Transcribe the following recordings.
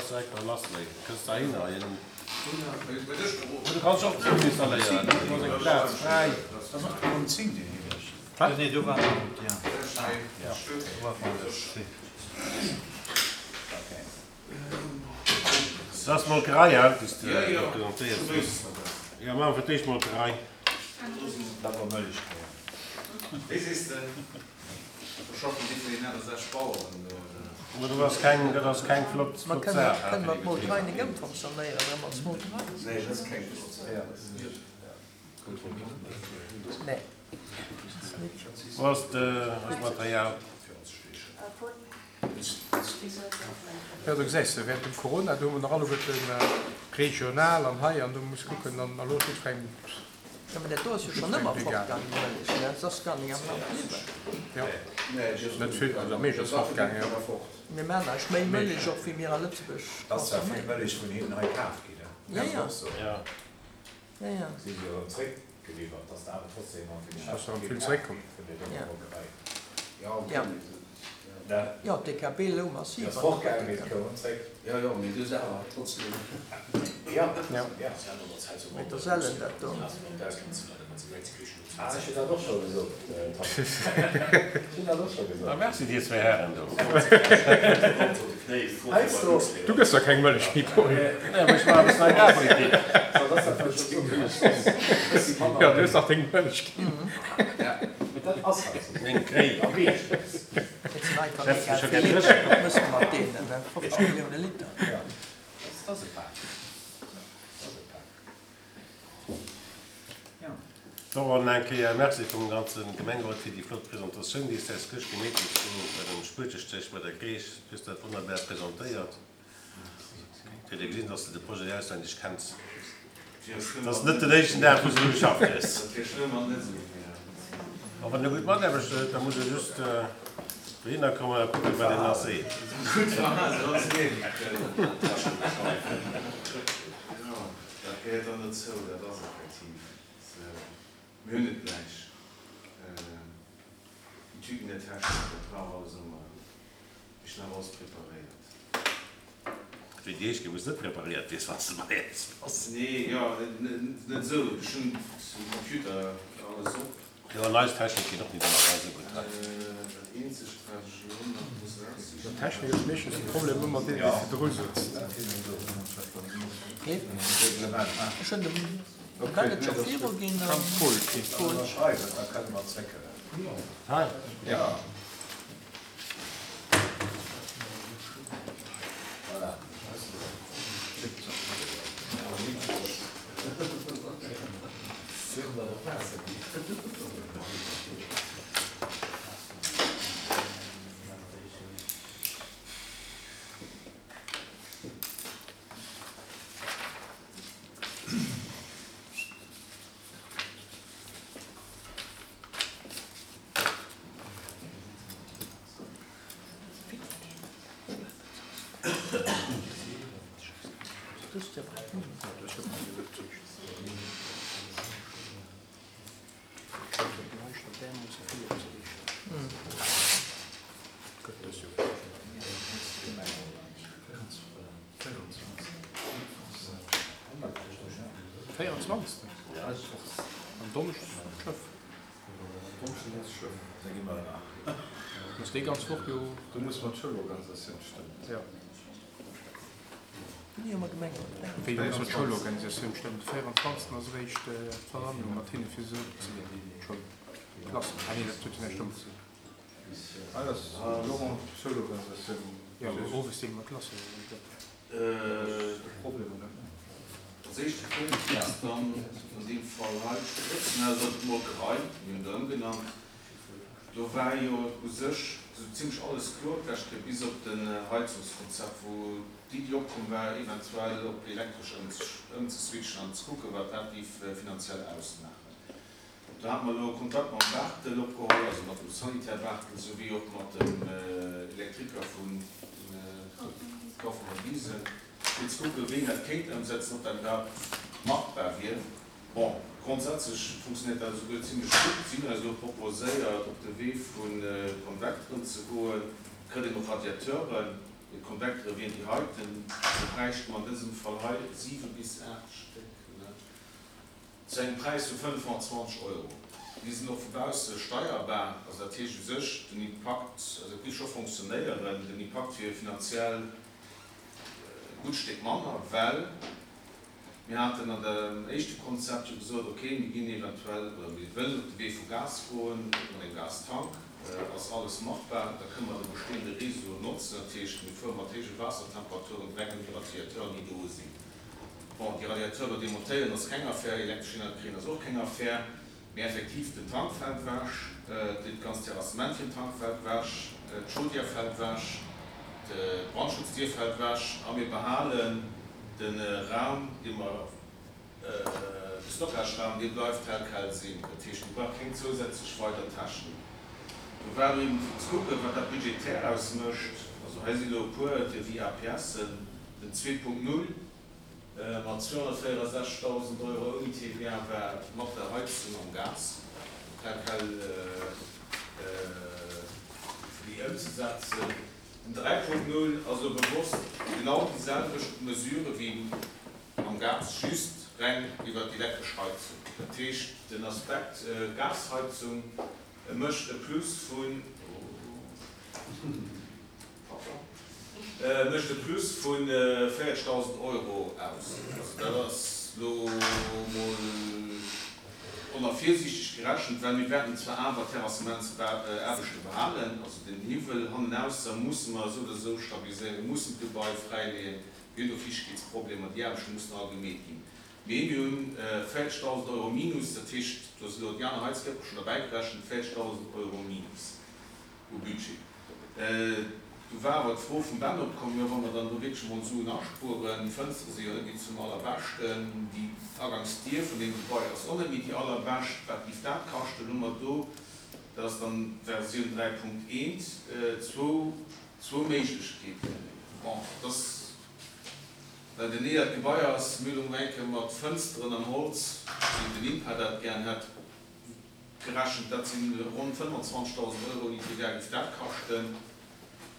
Kanns direkt nach lassleeën. Kënns heihinner. Du kanns och d'Zoom installéieren. Do ass eng Plaz fräi. Dat ass och d'Kolonn 10, déi hie mécht. Wat? Nee, do war nach net, jo. Jo, do war nach net. Dat ass d'Molkerei, hein, déi s de do presentéiers hues. Jo, maache mer fir d'éischt d'Molkerei. Dat war Mëllech, jo. Wéi sees de? Do schaffen déi vun den 68 Baueren do, oder? Ma dat ass keng, dat ass keng flott, Ma flott kënne Saach, hein, kënne fir mer déi d'Molkerei Betriber. net ëmfonctionnéieren erëm als Molkerei? Nee, dat ass keng flott Saach. Nee. Wou ass de, ass d'Material? Jo, do gesäis de, während dem Corona, do hu mer nach alleguerten regional an hei an do muss kucken an elo ass jiddwerengem. Jo, mä dat do ass jo schonn ëmmer fortgaangen, déi Mëllech, ne? Se ass gar ning am Land bliwwen. Jo, net vill, also am meeschten ass fortgaangen, jo. Mir maachen eigentlech méi Mëllech och, wéi mir a Lëtzebuerg Et ass zwar vill consomméieren. Mëllech vun hinnen hei kaf ginn, ne? Ja, ja. Jo. Ja, ja. Si se erëm zréckgeliwwert, dass der awer trotzdem nach vill Dass erëm vill zréckkomm. Vun der Molkerei. Ja. Jo, d'DKB lou massiv Ass an der fortgaangen, mee Politik. et koum erëm zréck. Jo, jo, mee du selwer trotzdem. Ja, ja. Mee da sellen dat do. Ah, ech hunn dat och scho gesot, Tom. Ech hunn dat och scho gesot. Ah, merci dir zwéi Hären do. Heiansdo. Du gëss der keng Mëllech méi, Paul. Nee, mee ech maachen e bëssen Agrarpolitik. Jo, du hues dach deng Mëllech ginn. Mee dat ass halt esou. Meng Kréi. A meeschtens. Et sinn einfach Setz mega mech jo vill gär Liter, dréchen. wat mëss de mat deenen, ne? 50 Millioune Liter. Ja, dat ass e Pak. Dat ass e Pak. Laurent, eng Kéier Merci vum ganze Gemengerot fir déi flott Presentatioun, déi s de eis gëscht gemeet hues do bei dem Spuetestéch bei der Kreech. Du hues dat wonnerbar presentéiert. Et huet ee gesinn, dass de de Projet auswenneg kenns. Et ass net den éischten Dag, wou s de do geschafft hues. A wann e gutt Mataarbechter huet, da muss e just dohinner kommen a kucken, wat een nach seet. Dat gehéiert dann dozou, dat ass effektiv esou. Mir hunn et gläich, déi Tüten der Technik, dat war och alles ëmmer, ech hunn awer alles preparéiert. Wéi déi éischt Kéier, wou s de net preparéiert wiers, wann s de bei äis bass. Nee, jo, net esou, ech hunn um Computer alles op. Jo, an eis Technik geet och net ëmmer ganz esou gutt hei. Dat eenzegt wat ech elo nach muss eraussichen. Technik ass meeschtens de Problem ëmmer deen dee virdru sëtzt. Ech hunn dem Manager viruginn an Paul. Hei. Do musse mer d'Schoulorganisatioun stëmmen. Wéi muss mer d'Schoulorganisatioun stëmmen? De 24. ass eréischt d'Versammlung mat hinne fir se opzeleeën, d'Schoulklassen. Ah nee, dat huet jo näischt domat ze dinn. Ah, dat ass Laurent, d'Schoulorganisatioun. Jo, owes deele mer d'Klassen op. De Problem, oder? Als éischte Punkt ass dann an deem Fall hei d'Sprëtzen aus der Molkerei, mir hunn der ëmgenannt. Do war jo u sech esou zimlech alles kloer d'lescht Kéier, bis op den Heizungskonzept, wou d'Iddi opkomm war, eventuell op elektresch ëmzeswitchen an ze kucken, wat dat géif finanziell ausmaachen. Do hate mer elo Kontakt mam Barthel opgeholl, also mat dem Sanitär Barthel souwéi och mat dem Elektriker vu Kauffmann Wiesen, fir ze kucken, wéi een dat kéint ëmsetzen, ob dat iwwerhaapt machbar wier. Bon, grondsätzlech funktionéiert dat esouguer zimlech gutt. Si hunn eis elo proposéiert, op de Wee vu Konvekteren ze goen. Kritt een och Radiateuren. Déi Konvektere wieren déi heiten. Do bräichte mer an dësem Fall hei 7 bis 8 Stéck, ne, zu engem Präis vu 25 Euro. Déi sinn och vu bausse steierbar. Also dat heescht u sech, den Impakt, also et géif scho fonctionnéieren, den Impakt wier finanziell e gutt Stéck manner, well Mir haten an dem éischte Konzept jo gesot, okay, mir ginn eventuell oder mir wëllen op de Wee vu Gas goen, mat engem Gastank ass alles machbar, da kënne mer de bestehende Réseau notzen. Dat heescht, mir fuere mat héije Waassertemperaturen direkt un déi Radiateuren, déi do sinn. Bon, déi Radiateure demontéieren ass keng Affär, elektresch Energie kréien ass och keng Affär. Mee effektiv, den Tank fält ewech, dat ganzt Terrassement fir den Tank fält ewech, d'Chaudière fält ewech, d'Brandschutzdier fält ewech a mir behalen de Raum, dee mer, de Stockageraum, dee bleift tel quel sinn. Dat heescht, mir brauche keng zousätzlech weider Technik. Do war elo eben fir ze kucken, wat dat budgetär ausmécht. Also hei si elo e puer Devis-APSen, den 2.0, Mat 264.000 Euro ouni TVA war mat der Heizung am Gas tel quel fir déi ëmzesetzen. Den 3.0 ass elo bewosst genau déi selwecht Mesure wéi am Gas, just reng iwwer d'elektresch Heizung. Dat heescht, den Aspekt Gasheizung mécht e Plus vun. Mécht e Plus vu 40.000 Euro aus. Also dat ass elo emol onervirsiichteg gerechent, well mir wäerten zwar awer d'Terrassementsaarbechte behalen, also den Hiwwel hannenausser musse mer esou oder esou stabiliséieren, mir mussen d'Gebai fräileeën, mir hunn do Fiichtegkeetsproblemer, déi Aarbechte mussen all gemeet ginn. Mee mir hunn 40.000 Euro Minus, dat heescht, do si elo déi aner Heizkierper schonn derbäigerechent, 40.000 Euro Minus u Budget. Du war awer d'Fro vum Ben opkomm, jo wa mer dann do wierklech emol Suen aspueren, déi Fënstere si jo net méi zum allerbeschten, déi Agangsdier vun deem Gebai ass och net méi déi allerbescht, wat géif dat kaschten? Hu mer do, dat ass dann d'Versioun 3.1, zwou, zwou Méiglechkeeten. Bon, et ass, well den eelert Gebai ass, mir hunn elo mol eng Kéier mat Fënsteren am Holz, wéi den INPA dat gären hätt, Gerechent, dat si ronn 25.000 Euro, déi TVA géif dat kaschten.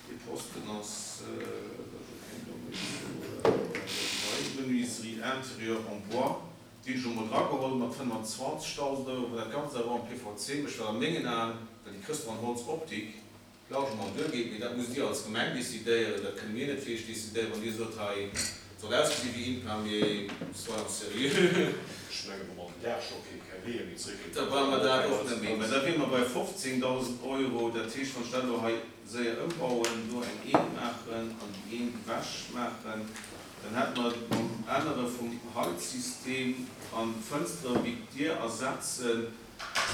Dee Posten ass, Menuiserie intérieure en bois, déi hunn ech elo mol drageholl mat 25.000 Euro, wann dat Ganzt awer en PVC mécht, wat a mengen Aen, well déi kriss de an Holzoptik, largement duergeet, mee dat musst Dir als Gemeng decidéieren, dat kënne mir net fir Iech decidéieren. Wann Dir sot, hei et soll ausgesi wéi INPA, mee soyons sérieux. Ech mengen, wa mer den Daach scho kee keng Weeër méi zréckkritt, Da brauche mer dat och net méi. Mä da wiere mer bei 15.000 Euro. Dat heescht, wann ech dat elo hei séier ëmbauen, do eng Eent maachen an déi Eent ewech maachen, dann hätte mer mam Ännere vum Heizsystem an d'Fënstere wéi d'Dier ersetzen,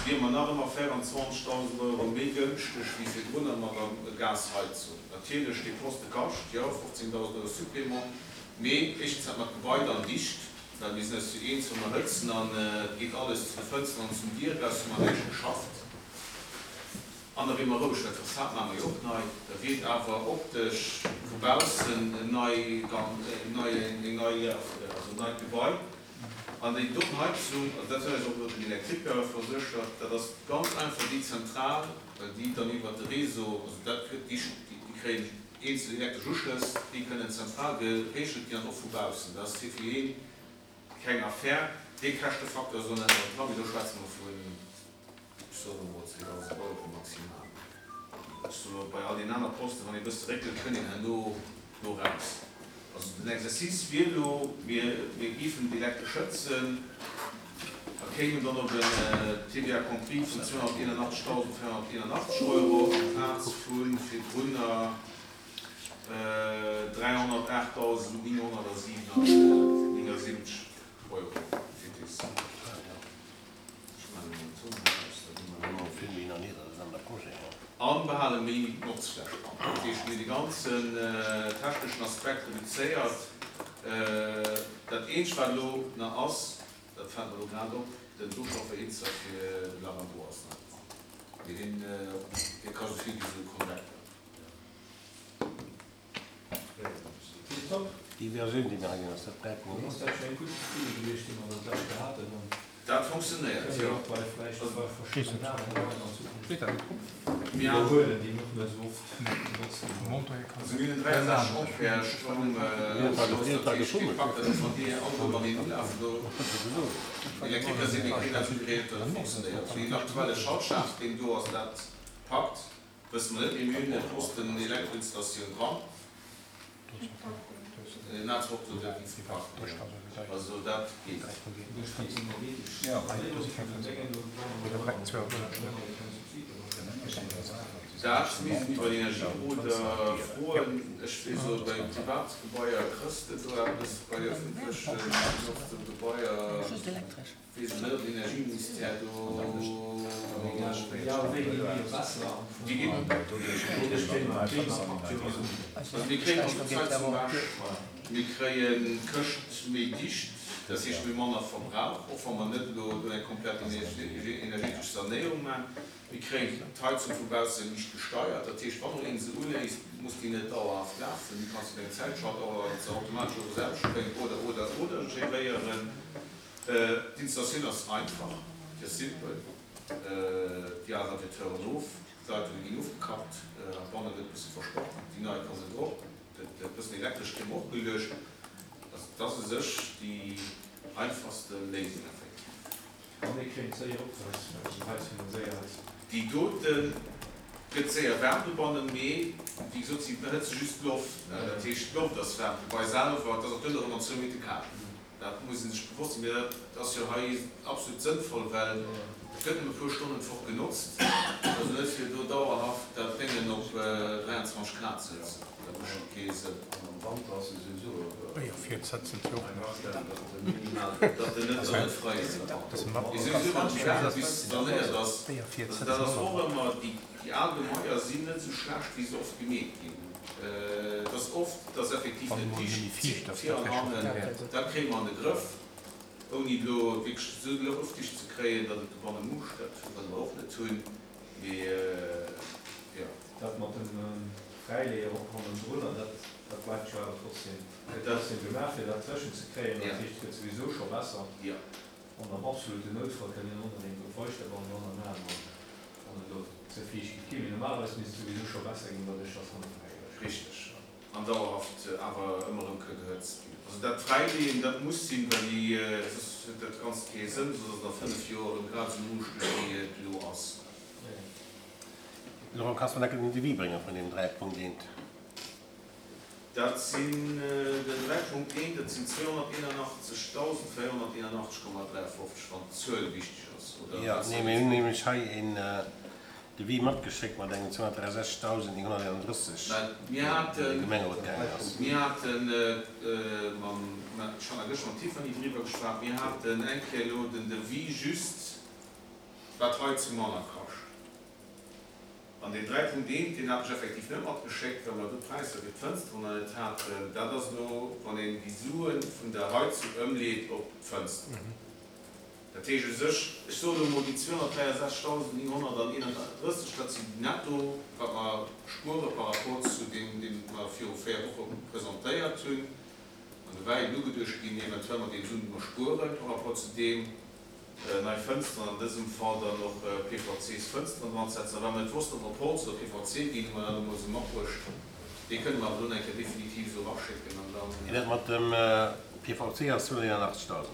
wiere mer nach ëmmer 24.000 Euro méi gënschteg wéi virdrunner mat der Gasheizung. Natierlech, dee Poste kascht, jo, 15.000 Euro Supplément, mee éischtens hätte mer d'Gebai dann dicht, well mir sinn eis jo eens, wa mer hëtzen an et geet alles zu de Fënsteren an zum Dier eraus, hu mer näischt geschafft. An da wier mer roueg, well d'Fassad maache mer jo och nei, da wier et awer optesch vu baussen en nei, en nei, eng nei, also en neit Gebai. An déi doten Heizung, also dat huet eis och elo den Elektriker verséchert, dat ass ganz einfach déi Zentral, well déi dann iwwert de Réseau, also dat kritt, déi kréien eenzel elektresch Uschlëss, déi kënnen zentral geregelt ginn an och vu baussen. Dat ass fir hien keng Affär. Dee Käschtefaktor ass elo net mat dran, mee do schwätze mer vun, ech soen elo mol 2.000 Euro maximal. Ech soen elo, bei all deenen aner Posten, wann ee e bësse réckelt, kënnt een herno do raus. Also den Exercice wier elo, mir géifen d'Elektresch schëtzen a kéimen dann op en TVA compris vun 281.481 Euro amplaz vu virdrunner 308.979 Euro TTC. An behale méi Notzfläch an. Dat heescht, mir hunn de ganzen techneschen Aspekt reduzéiert. Dat eenzegt, wat elo nach ass, dat fält mer elo grad op, den Duschofferhitzer fir de Lavabo ass nach dran. Mee deen, dee kascht esou vill wéi esou e Konvektor. Déi Versioun, déi mir hei gesinn, ass dat 3.0? Ass dat scho eng gutt Iddi gewiescht, déi mer dat lescht haten? Dat funktionéiert, jo. Steet dat net drop? Iwwerhuelen, déi net méi esou oft genotzt ginn. Also mir hunn en 63 Ampere Stroumouschloss, dat heescht dee packt dat ass wann déi alleguer mateneen ulafen do. Elektriker sinn, dee kritt dat esou geréiert, datt et funktionéiert. Wéi den aktuelle Schaltschaf deen do ass dat packt, wësse mer net, mee mir hunn e Posten Elektroinstallatioun dran. Also dat geet. Dat misst een iwwer Energieberoder froen. Ech weess elo, bei Privatgebaier krëss de do eppes, bei ëffentleche genotzte Gebaier weess ech net, ob den Energieministère do. Déi ginn. Also mir kréien also d'Heizung ewech, mir kréien d'Këscht méi dicht, dat heescht mir hu manner Verbrauch, och wa mer net elo do eng komplett energetesch Sanéierung maachen. Mir kréien d'Heizung vu bausse liicht gesteiert, dat heescht wann elo een se uléisst, muss déi net dauerhaft lafen, déi kanns du op eng Zäit schalten, och datt se automatesch of erausspréngt oder, oder, oder geréieren. D'Installatioun ass einfach, déi ass simpel, déi al Radiateuren of, d'Leitunge ginn ofgekappt, banne gëtt e bësse verspacht, déi nei kommen drop, gëtt e bëssen Elektresch kéim och geluecht. Also dat ass u sech déi einfachste Léisung effektiv. An déi kréien séier op, well déi Heizung da séier ass. Déi dote gëtt séier waarm dobannen, mee wéi gesot, si behëtze just d'Loft, dat heescht d'Loft ass waarm, d'Gebai selwer, et ass och duerno erëm an zwou Minutte kal. Dat muss ee sech bewosst sinn. Mee dat ass jo hei absolut sënnvoll, well et gëtt nëmme e puer Stonnen d'Woch genotzt. Also net fir do dauerhaft dat Déngen op 23 Grad ze hëtzen. Dat mécht kee Sënn. An am Wanter ass e souwisou Datt en net net frei ass. Mee souwisou wann d'Gewerbe bis sanéiert ass, also dat ass och ëmmer, déi al Gemaier sinn net esou schlecht wéi se oft gemeet ginn. Et ass oft, dass effektiv net dicht vir an hannen, dat kréie mer an de Grëff, ouni elo wierklech esou luftdicht ze kréien, datt et dobanne muuscht, dat wëlle mer och net hunn, mee jo. Dat mat dem Fräileeër och hannendrunner, dat dat bleift jo awer trotzdem, gëtt trotzdem gemaach, fir dat dréchen ze kréien. Dat heescht, et gëtt souwisou scho besser. An am absoluten Noutfall kënnt een och nach een Feuchterband hannermachen, wann et elo ze fiicht géif ginn. Mee normalerweis misst et souwisou scho besser ginn, doduerch dass hanne fräi gëtt. Richteg. An dauerhaft awer ëmmer erëm ka gehëtzt ginn. Also dat Fräileeën, dat muss sinn, well déi, soss huet dat Ganzt kee Sënn, soss ass et a 5 Joer erëm grad esou muuschteg, wéi et elo ass. Laurent, kanns de mer enke den Devis bréngen vun deem 3.1? Dat sinn den 3.1, dat sinn 281.481,53, wann d'Zuel wichteg ass, oder? Jo, nee, mir hunn nämlech hei een Devis matgeschéckt mat engem 263.931, Well mir deen haten, Gemengerot gaangen ass. mir haten mam, ech hat nach gëschter mam Tiffany driwwer geschwat, mir haten eng Kéier elo den Devis just, wat d'Heizung manner kascht. An deen 3.1, deen hat ech effektiv net matgeschéckt, well mer do d'Präisser fir d'Fënsteren nach net haten. Dat ass elo, wann een déi Sue vun der Heizung ëmleet op d'Fënsteren. Dat heescht u sech, ech soen elo emol, déi 263.931, dat sinn netto, wat mer spuere par rapport zu deem, dee mer viru 4 Woche presentéiert hunn. An do war eben ugeduecht ginn, eventuell mat deenen Suen, déi mer spuere par rapport zu deem, nei Fënsteren, an dësem Fall dann och PVCs-Fënsteren dran ze setzen. A well mer net wossten, ob mer op Holz oder PVC ginn, hu mer dat emol esou matbruecht. Dee kënne mer awer elo nach eng Kéier definitiv esou eraschécken an dann. Mee dat mat dem PVC ass 281.000.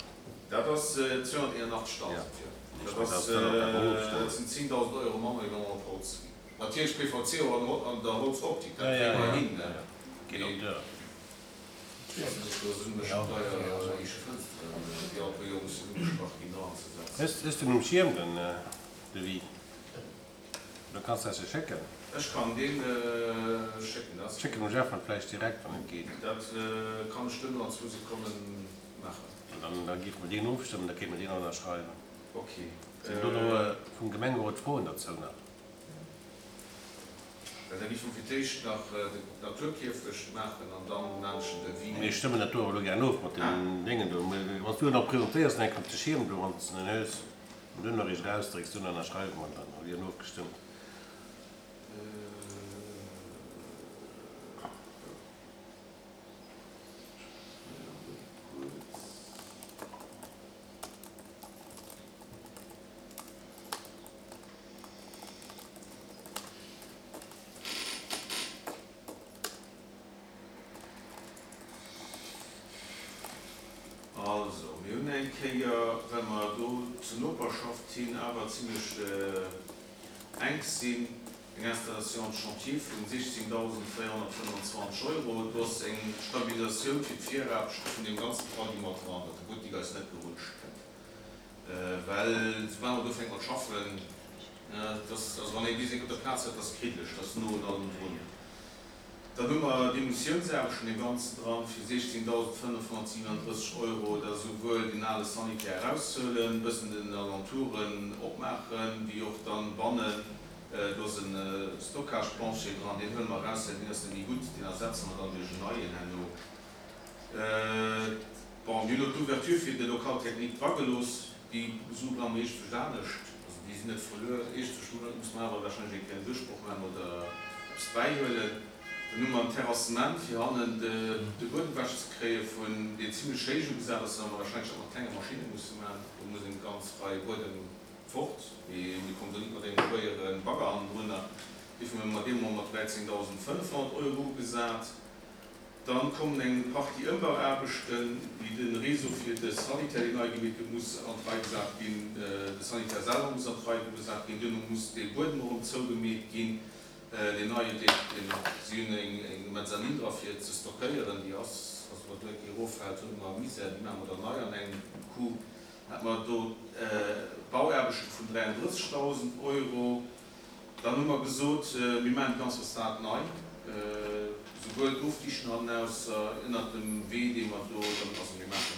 Dat ass 281.000, jo. Dat ass, dat sinn 10.000 Euro manner, wéi wa mer op Holz ginn. Natierlech PVC och an der Holzoptik, dat kréie mer hin. Geet op d'Dör. Hues de en um Schierm den Devis? Oder kanns de eis e schécken? Ech kann deen schécken, dat ass. Schéck en dem Jeff vläicht direkt wann et geet. Dat kann ech duerno an zwou Sekonnen maachen. An da géife mer deen ofstëmmen, da kéinte mer deen ënnerschreiwen. Ok. Sinn do elo vum Gemengerot Froen derzou nach? Well da géife mer fir d'éischt nach den Naturkierfecht maachen an dann maan ech den Devis. Mir stëmmen dat do awer elo gären of mat deem Déngen do. Wann s du en nach presentéiers, dann enk op de Schierm do, wann s de en hues, an duerno eréischt erausdrécks, duerno ënnerschreiwe mer dann, da wier en ofgestëmmt. Also, mir hunn eng Kéier, well mer do zur Noperschaft hin awer zimlech enk sinn, eng Installation de chantier vun 16.425 Euro. Do ass eng Stabilisatioun fir d'Viraarbechte vun deem ganze Pardi mat dran, datt de Buttek eis net gerutscht kënnt. Well soubal mer do ufänke mat schaffen, dat ass, also wann ee bis eng op der Plaz huet, dat ass kriddeleg, dat ass no un allem drun. Dann hu mer d'Emissiounsarbechten deem Ganzen dran fir 16.537 Euro, dat ass esouwuel deen ale Sanitär eraushuelen, e bëssen den Alentouren opmaachen, wéi och dann bannen, do ass e Stockage-Plancher dran, deen huele mer eraus, well deen ass net méi gutt, deen ersetze mer dann duerch en neien herno. Bon, mir hunn elo d'Ouverture fir de Local technique dragelooss. Déi Sue brauche mer iergendwousch anescht. Also déi sinn net verluer. Iergendwousch muss mer awer warscheinlech eng Kéier en Duerchbroch maachen oder eppes bäihuelen. Dann hu mer en Terrassement, fir hannen de Buedem ewech ze kréie vun, deen zimlech héich ugesat ass, well mer warscheinlech dat mat klenge Maschinne musse maachen. Do muss eng ganz Rei Buedem fort, mee mir kommen do net mat engem schwéiere Bagger hannendrunner. Duerfir hu mer dee mol mat 13.500 Euro ugesat. Dann kommen eng Partie Ëmbauaarbechten, wéi de Réseau fir de Sanitär, deen nei gemeet gëtt, muss an d'Rei gesat ginn, de Sanitär selwer muss an d'Rei gesat ginn, duerno muss dee Buedem erëm zougemeet ginn, deen neien, deen, si hunn eng Mezzanine dra fir ze stockéieren, déi ass, also wa do eng Kéier eroffält, hunn mer Misär, déi maache mer dann nei an engem Coup. Hat mer do Bauaarbechte vun 33.000 Euro. Dann hu mer gesot, mir maachen déi ganz Fassad nei, souwuel d'Ofdichten hannenausser, ënnert dem Wee, dee mer do dann, also mir maache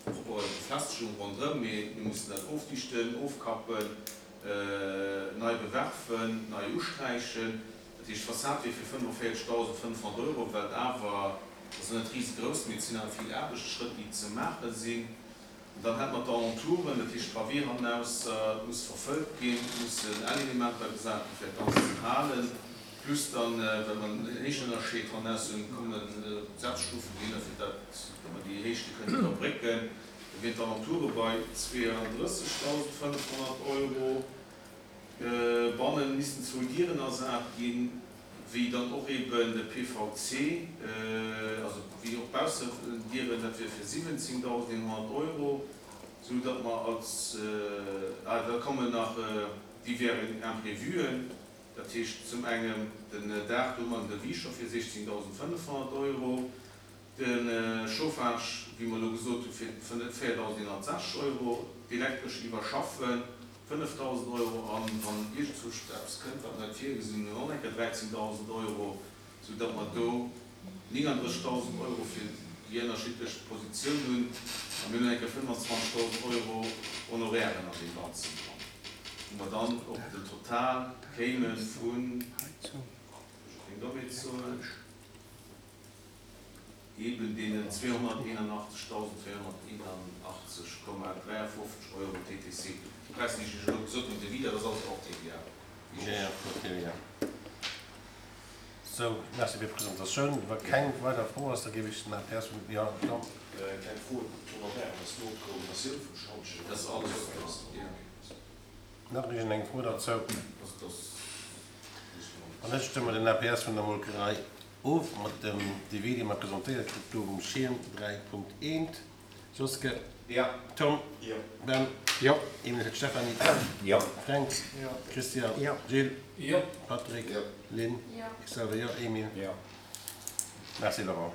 propper Befestigung ronderëm, mee mir mussen dat ofdichten, ofkappen, nei bewerfen, nei usträichen. Dat heescht, d'Fassad wier fir 45.500 Euro, wat awer, dat ass net risegrouss, mee et sinn awer vill Aarbechtsschrëtt, déi ze maache sinn. An dann hätte mer d'Alentouren, dat heescht d'Pavé hannenausser muss verfëllt ginn, et mussen L-Elementer gesat ginn, fir dat Ganzt ze halen, plus dann, well mer en Héichtenënnerscheed hannenaus hunn, kommen Setzstufen dohinner, fir dat mer déi Héichte kënnen iwwerbrécken. Da wieren d'Alentoure bei 32.500 Euro. Bannen missten zwou Dieren ersat ginn, wéi dann och eben de PVC, also wéi och d'Baussendieren, dat wier fir 17.100 Euro, sou datt mer als, ah da kommen nach divers Imprévuen, dat heescht zum engem den Daach, do hu mer en Devis scho fir 16.500 Euro, De Chauffage, wéi mer elo gesot hu fir 4.160 Euro, d'Elektresch iwwerschaffen 5.000 Euro an wann iergendzwousch eppes kënnt, wat mer net virgesinn hunn, och eng Kéier 13.000 Euro, sou datt mer do 39.000 Euro fir déi ënnerschiddlech Positioun hunn a mir hunn eng Kéier 25.000 Euro Honorairen an deem Ganzen dran, wou mer dann op den Total kéime vun, ech hu keng Dommheet soen, eben deenen 281.481,53 Euro TTC. Déi Präisser, déi ech Iech elo gesot hunn, de dat ass alles hors TVA. Jo, jo, hors TVA. Sou, merci fir d'Presentatioun. Wa keng weider Fro ass, da géif ech den APS vun, jo, Jean. Kleng Fro, d'Honorairen ass no d'Koordinatioun vum Schantjen? Dat ass alles hors TVA. Nach iergendeng Fro derzou? Wann net, stëmme mer den APS vun der Molkerei of mat dem Devis, dee mer presentéiert kritt gouf um Schierm 3.1. Joske? Jo. Tom? Jo. Ben? Jo. Emil fir d'Stéphanie? Jo. Fränk? Jo. Christian? Jo. Gilles? Jo. Patrick? Jo. Lynn? Jo. Ech selwer jo. Emil? Jo. Merci Laurent.